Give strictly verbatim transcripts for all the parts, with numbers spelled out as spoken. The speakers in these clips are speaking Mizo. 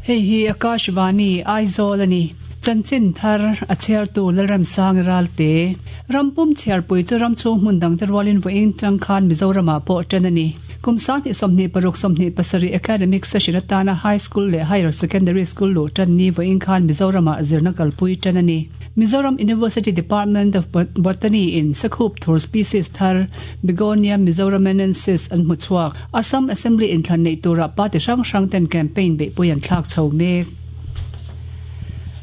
Hei hi Akashvani Aizawl ani. Chanchin thar a chhiartu Lalramsang Ralte. Rampum chhiarpui chu ram chhung hmun dang te rualin vawiin tang khan Mizoramah pawh tan a ni. Kum sanghnih sawmhnih paruk sawmhnih pasarih academic session atana high school leh higher secondary school luh tan ni vawiin khan Mizoramah zirna kalpui tan a ni. Mizoram University Department of Botany in Sakhup thur species thar Begonia mizoramensis an hmu chhuak. Assam Assembly inthlan neih turah party hrang hrang ten campaign beihpui an thlak chho mek.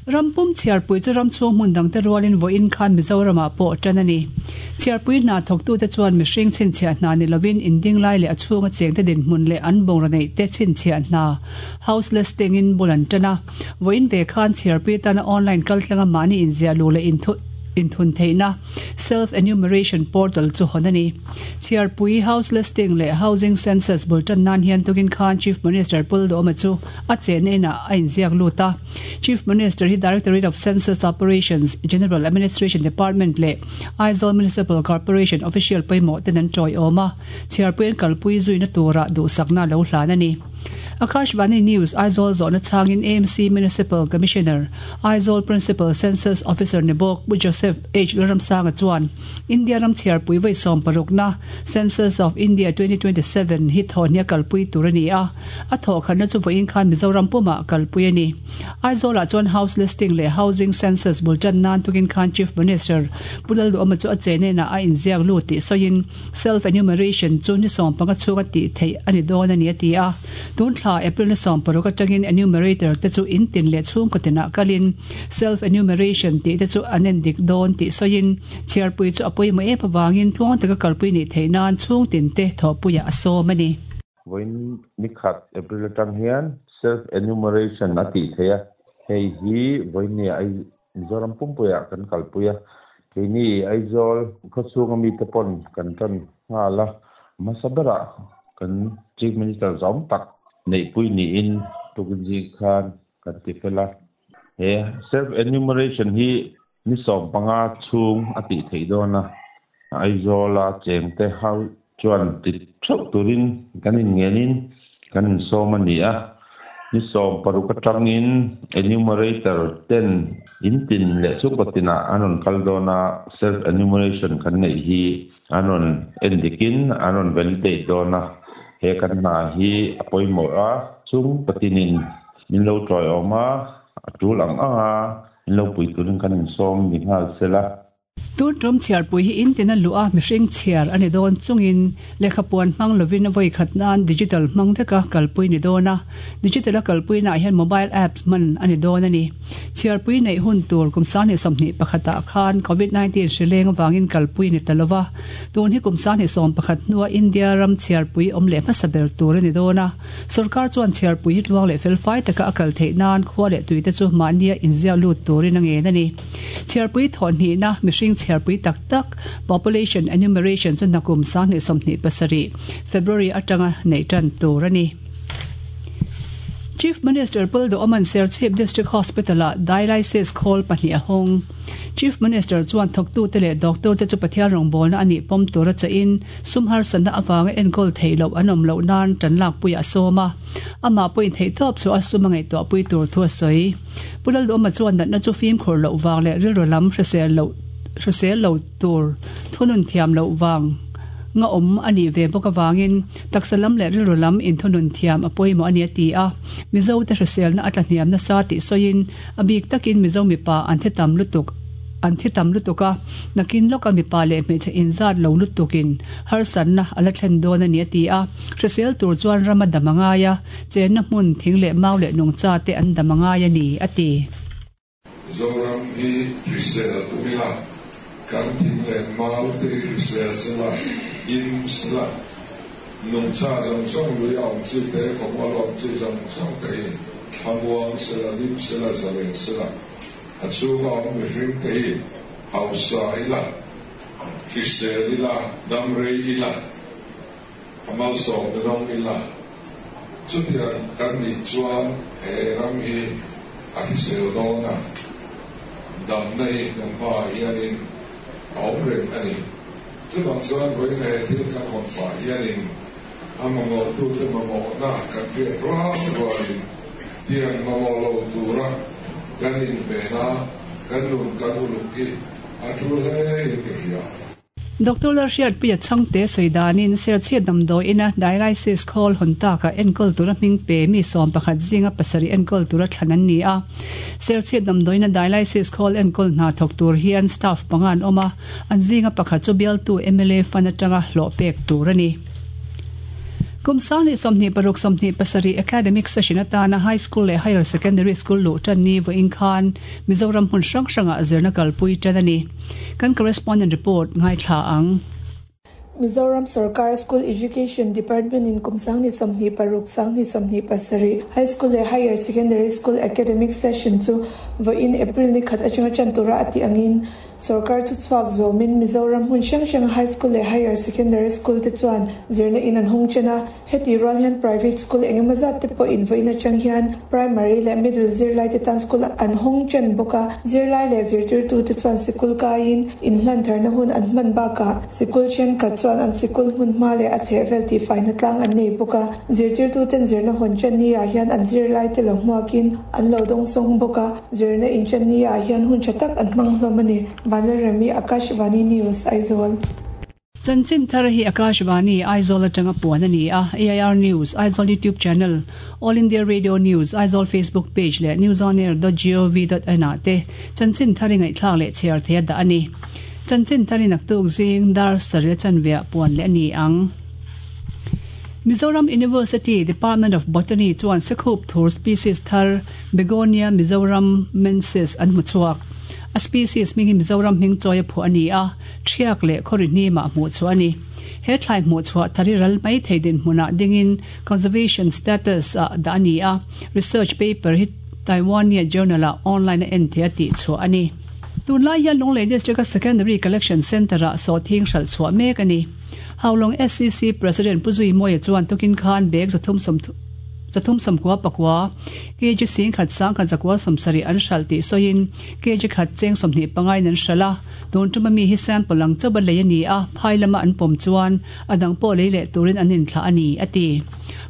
Rampum chhiarpui chu ram chhung hmun dang te rualin vawiin khan Mizoramah pawh tan a ni. Chhiarpui hna thawktute chuan mihring chhinchhiah hna ni lovin inding lai leh a chhunga cheng te dinhmun leh an bungraw neih te chhinchhiah hna house listing in bul an tan a. Vawiin ve khan chhiarpui tana online kaltlanga mahni inziah luh leh inthu inthun theihna self enumeration portal chu hawn a ni. Chhiarpui house listing leh housing census bul tan nan hian tukin khan Chief Minister Pu Lalduhoma chu a chenna inah a inziak lut a. Chief Minister hi Directorate of Census Operations, General Administration Department leh Aizawl Municipal Corporation official pawimawh ten an tawiawm a. Chhiarpui an kalpui zuina turah duhsakna lo hlan a ni. Akashvani News Aizawl zawhna chhangin A M C Municipal Commissioner, Aizawl Principal Census Officer ni bawk Pu Joseph H Lalramsanga chuan India ram chhiarpui vawi sawm parukna Census of India twenty twenty-seven hi thawhnia kalpui tur a ni a, a thawhkhatna chu vawiin khan Mizoram pumah kalpui a ni. Aizawlah chuan house listing leh housing census bul tan nan tukin khan Chief Minister Pu Lalduhoma chu a chenena a inziak lut tih sawiin self enumeration chu ni sawm panga chhunga tih theih a ni dawn a ni a ti a. Tun thla April ni sawm paruk atangin enumerator te chu in tin leh chhungkaw tinah kalin self enumeration tih te chu an en dik dawn tih sawiin chhiarpui chu a pawimawh em awangin tluang taka kalpui nih theih nan chhung tin te thawhpuiah a sawm a ni. Vawiin nikhat April atang hian self enumeration a tih theih a, hei hi vawiin ni ai Mizoram pumpuiah kan kalpui a, keini Aizawl khawchhunga mite pawn kan tan nghal a, hmasa berah kan Chief Minister zawm tak neihpui niin tukin zing khan kan ti fel a. He self enumeration hi ni sawm panga chhung a tih theih dawn a, Aizawla chengte ho chuan ti theuh turin kan inngenin kan insawm a ni a. Ni sawm paruk atangin enumerator ten in tin leh chhungkaw tinah an rawn kal dawn a, self enumeration kan neih hi an rawn en dikin an rawn validate dawn a. He kan hna hi a pawimawh a, chung patinin min lo tawiawm a, a tul ang ang a min lo pui turin kan insawm ni nghal sela. Tun tum chhiarpui hi in tin a luh a mihring chhiar a ni dawn chungin lehkhapuan hmang lovin a vawi khat nan digital hmang veka kalpui ni dawn a. Digital a kalpui naah hian mobile apps hman a ni dawn a ni. Chhiarpui neih hun tur kum sanghnih sawmhnih pakhatah khan COVID nineteen hrileng avangin kalpui ni ta lova. Tun hi kum sanghnih sawm pakhat hnua India ram chhiarpui awm leh hmasa ber tur a ni dawn a. Sorkar chuan chhiarpui hi tluang leh felfai taka a kal theih nan khua leh tuite chu mahnia inziak lut turin a ngen a ni. Chhiarpui thawhhnihna mihring chhiarpui tak tak population enumeration chu nakum sanghnih sawmhnih pasarih February atanga neih tan tur a ni. Chief Minister Pu Lalduhoma'n Serchhip District Hospital-a dialysis khawl pahnih a hawng. Chief Minister chuan thawktute leh doctor te chu Pathian rawngbawlna a nih pawm tur a chahin sum harsatna avanga enkawl theih loh an awm loh nan tan lakpui a sawm a. Amah pawhin theih tawp chu a sum a ngaihtuahpui tur thu a sawi. Pu Lalduhoma chuan natna chu fimkhur loh vang leh rilru lam hrisel loh hrisel lo tur thunun thiam loh vang nga awm a nih ve bawk awangin taksa lam leh rilru lam inthunun thiam a pawimawh a ni a ti a. Mizo te hriselna a tlahniam nasa tih sawiin a bik takin Mizo mipa an thi tam lutuk an thi tam lutuk a, nakin lawka mipa leh hmeichhe inzat lo lutukin harsatna a la thlen dawn a ni a ti a. Hrisel tur chuan ram a dam a ngai a, chenna hmun thing leh mau leh nungcha te an dam a ngai a ni a ti. Mizoram hi hrisel tumila kan thing leh mau te hi hrisel sela, him sela, nungcha zawng zawng lui a awm chi te, khawmual awm chi zawng zawng te hi thlamuang sela, hlim sela, zalen sela, a chhunga awm mihring te hi hausa ila, hrisel ila, dam rei ila, a malsawm dawng ila, chutiang kan nih chuan he ram hi a hrisel dawn a, damna hi kan hmaah hianin a awm reng a ni. Chuvang chuan vawiin he thil kan hawn pah hianin a mamawhtute mamawhna kan hriat rual rualin Tiang mamawh lo tura kan inven a, kan nun kan uluk hi a tul hle in ka hria. Doctor Lalhriatpuia Chhangte sawi danin Serchhip damdawiina dialysis khawl hawn takah enkawl tura hming pe mi sawm pakhat zinga pasarih enkawl tura thlan an ni a. Serchhip damdawiina dialysis khawl enkawl hna thawk tur hian staff panga an awm a, an zinga pakhat chu bialtu mla fund atanga hlawh pek tur a ni. Kum sang leh sawmhnih paruk sawmhnih pasarih academic session atana high school leh higher secondary school luh tan ni vawiin khan Mizoram hmun hrang hrangah zirna kalpui tan a ni. Kan correspondent report ngaithla ang. Mizoram Sarkar School Education Department in kum sang ni sawmhnih paruk sang ni sawmhnih pasarih High School leh Higher Secondary School academic session chu vawiin April ni khat atanga tan tura a tih angin Sarkar chu chhuak zawmin Mizoram hmun hrang hrang High School leh Higher Secondary School te chuan zirna in an hawng chen a, heti rual hian private school engemaw zat te pawh in vawiin atang hian primary leh middle zirlai te tan school an hawng chen bawk a, zirlai leh zirtirtu te chuan sikul kaiin inhlan tharna hun an hman bakah sikul thenkhat chuan an sikul hmun hma leh a chhehvel tih faina tlang an nei bawk a, zirtirtu ten zirna hawn chen ni ah hian an zirlai te lo hmuakin an lo dawng sawng bawk a, zirna in chen ni ah hian hun tha tak an hmang hlawm a ni. Vanlalremi, Akashvani News, Aizawl. Chanchin thar hi Akashvani Aizawl atanga puan a ni a, A I R News Aizawl YouTube channel, All India Radio News Aizawl Facebook page leh newsonair dot gov dot in ah te chanchin thar i ngaihthlak leh chhiar theih a dah a ni. Chanchin thar i naktuk zing dar sarih chanveah puan leh a ni ang. Mizoram University Department of Botany chuan Sekhup thur species thar Begonia mizoramensis an hmu chhuak. A species hming hi Mizoram hming chawi a phuah a ni a, Ṭhiak leh Khawri hnimah hmuh chhuah a ni. He thlai hmuh chhuah thar hi ral mai thei dinhmunah dingin conservation status ah dah a ni a, research paper hi Taiwania journal ah online a en theih a tih chhuah a ni. Tunlai hian Lunglei District a Secondary Collection Centre ah sawhthing hralh chhuah mek a ni. Haulawng S C C President Pu Zui Mawia chuan tukin khan bag zathum sawm zathum sawmkua pakua kg sing khat sang khat zakua sawmsarih an hralh tih sawiin kg khat cheng sawmhnih pangain an hralh a, tun tuma mi hi sample ang chauh a lei a ni a, phai lama an pawm chuan a dang pawh lei leh turin an inthlah a ni a ti.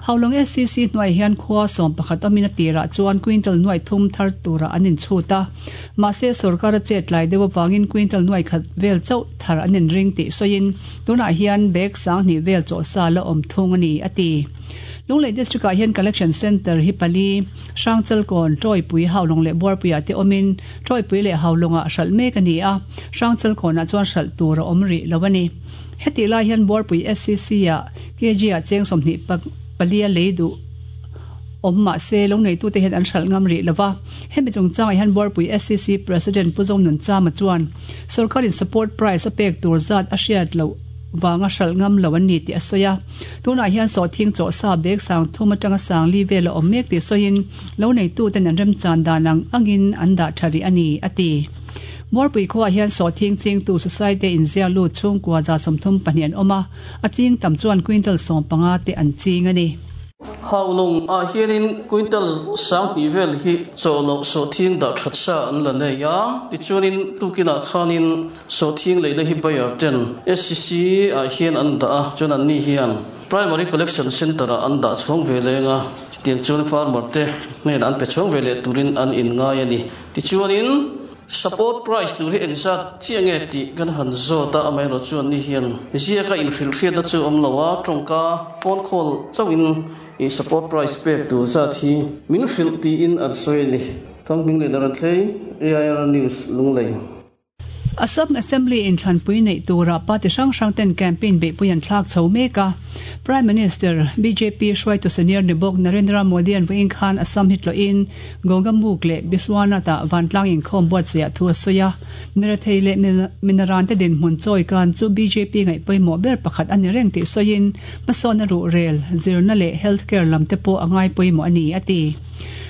Haulawng S C C hnuai hian khua sawm pakhat awmin a tirah chuan quintal nuai thum thar turah an inchhut a, mahse sorkar a chet lai deuh avangin quintal nuai khat vel chauh thar an inring tih sawiin tunah hian bag sanghnih vel chawh sa la awm thung a ni a ti. Lunglei District ah hian collection centre hi pali Hrangchalkawn, Tawipui, Haulawng leh Buarpuiah te awmin Tawipui leh Haulawngah hralh mek a ni a, Hrangchalkawnah chuan hralh tur a awm rih lo a ni. Hetih lai hian Buarpui S C C ah kg ah cheng sawmhnih pali a lei duh awm mahse lo neitute hian an hralh ngam rih lova. Hemi chungchangah hian Buarpui S C C President Pu Zonun Chama chuan sorkarin support price a pek tur zat a hriat loh vanga hralh ngam lo an ni tih a sawi a. Tunah hian sawhthing chawh sa bag sang thum atanga sang li vel a awm mek tih sawiin lo neituten an remchan dan ang angin an dah tha rih a ni a ti. Buarpui khuaah hian sawhthing chingtu society inzia lut chhungkua za sawmthum pahnih an awm a, a ching tam chuan quintal sawm panga te an ching a ni. Haulawng ah hianin quintal sanghnih vel hi chawhloh sawhthing dah that sa an la nei a, tichuanin tukinah khanin sawhthing leina hi buyer ten S C C ah hian an dah a, chuan anni hian primary collection centre ah an dah chhawng ve leng a, chutiang chuan farmer te hnenah an pe chhawng ve leh turin an inngai a ni. Tichuanin support price tur hi engzat chiah nge tih kan han zawt a, amaherawhchu chuan ni hian ziaka inhrilhhriatna chu awm lo a, tawngka phone call chauhin i support price pek tur zat hi min hrilh tiin an sawi a ni. Thawng Hming leh Daran Thlei, A I R News, Lunglei. Assam Assembly inthlanpui neih turah party hrang hrang ten campaign beihpui an thlak chho mek a. Prime Minister B J P hruaitu senior ni bawk Narendra Modi an vawiin khan Assam hi tlawhin Gogamukh leh Biswanath-ah vantlang inkhawm buatsaih thu a sawi a. Mirathei leh minaran te dinhmun chawi kan chu B J P ngaih pawimawh ber pakhat a ni reng tih sawiin hmasawn a ruhrel, zirna leh healthcare lam te pawh a ngai pawimawh a ni a ti.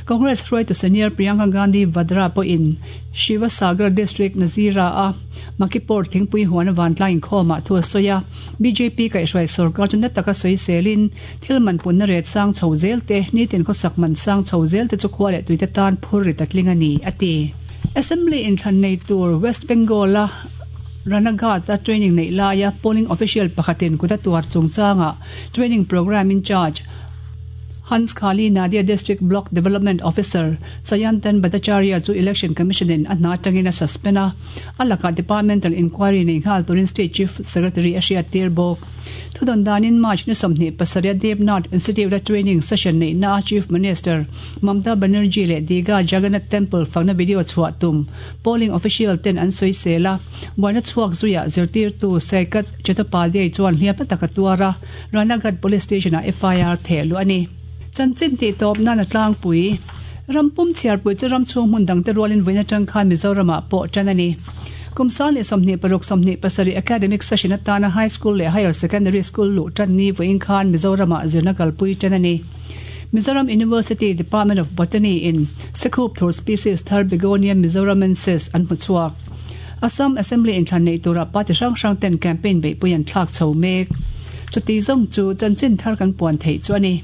Congress hruaitu senior Priyanka Gandhi Vadra pawhin Sivasagar District Nazira a Makipur thingpui huan vantlang inkhawmah thu a sawi a. B J P kaihhruai sorkar chu na taka sawi selin thil man punna ret sang chho zel te nitin khawsak man sang chho zel te chu khua leh tuite tan phur ri tatling a ni a ti. Assembly inthlan nei tur West Bengal a Ranaghat a training nei laia polling official pakhatin kuta tuar chungchanga training program in charge Hanskhali Nadia District Block Development Officer Sayantan Bhattacharya chu Election Commission in a hna atangin a suspend a, a lakah departmental inquiry nei nghal turin State Chief Secretary a hriattir bawk. Thudawn danin March ni sawmhnih pasarih Debnath Institute a training session neihna a Chief Minister Mamta Banerjee leh Digha Jagannath Temple fakna video chhuah tum polling official ten an sawi sel a, buaina chhuak zuiah zirtirtu Saikat Chattopadhyay chuan hliam taka tuar a, Ranaghat Police Station ah F I R theh luh a ni. Chanchin tih tawp nan a tlangpui. Rampum chhiarpui chu ram chhung hmun dangte rualin vawiin atang khan Mizoramah pawh tan a ni. Kum sang leh sawmhnih paruk sawmhnih pasarih academic session atana high school leh higher secondary school luh tan ni vawiin khan Mizoramah zirna kalpui tan a ni. Mizoram University Department of Botany in Sekhup thur species thar Begonia mizoramensis an hmu chhuak. Assam Assembly inthlan nei tura party hrang hrang ten campaign beihpui an thlak chho mek. Chuti zawng chu chanchin thar kan puan theih chu a ni.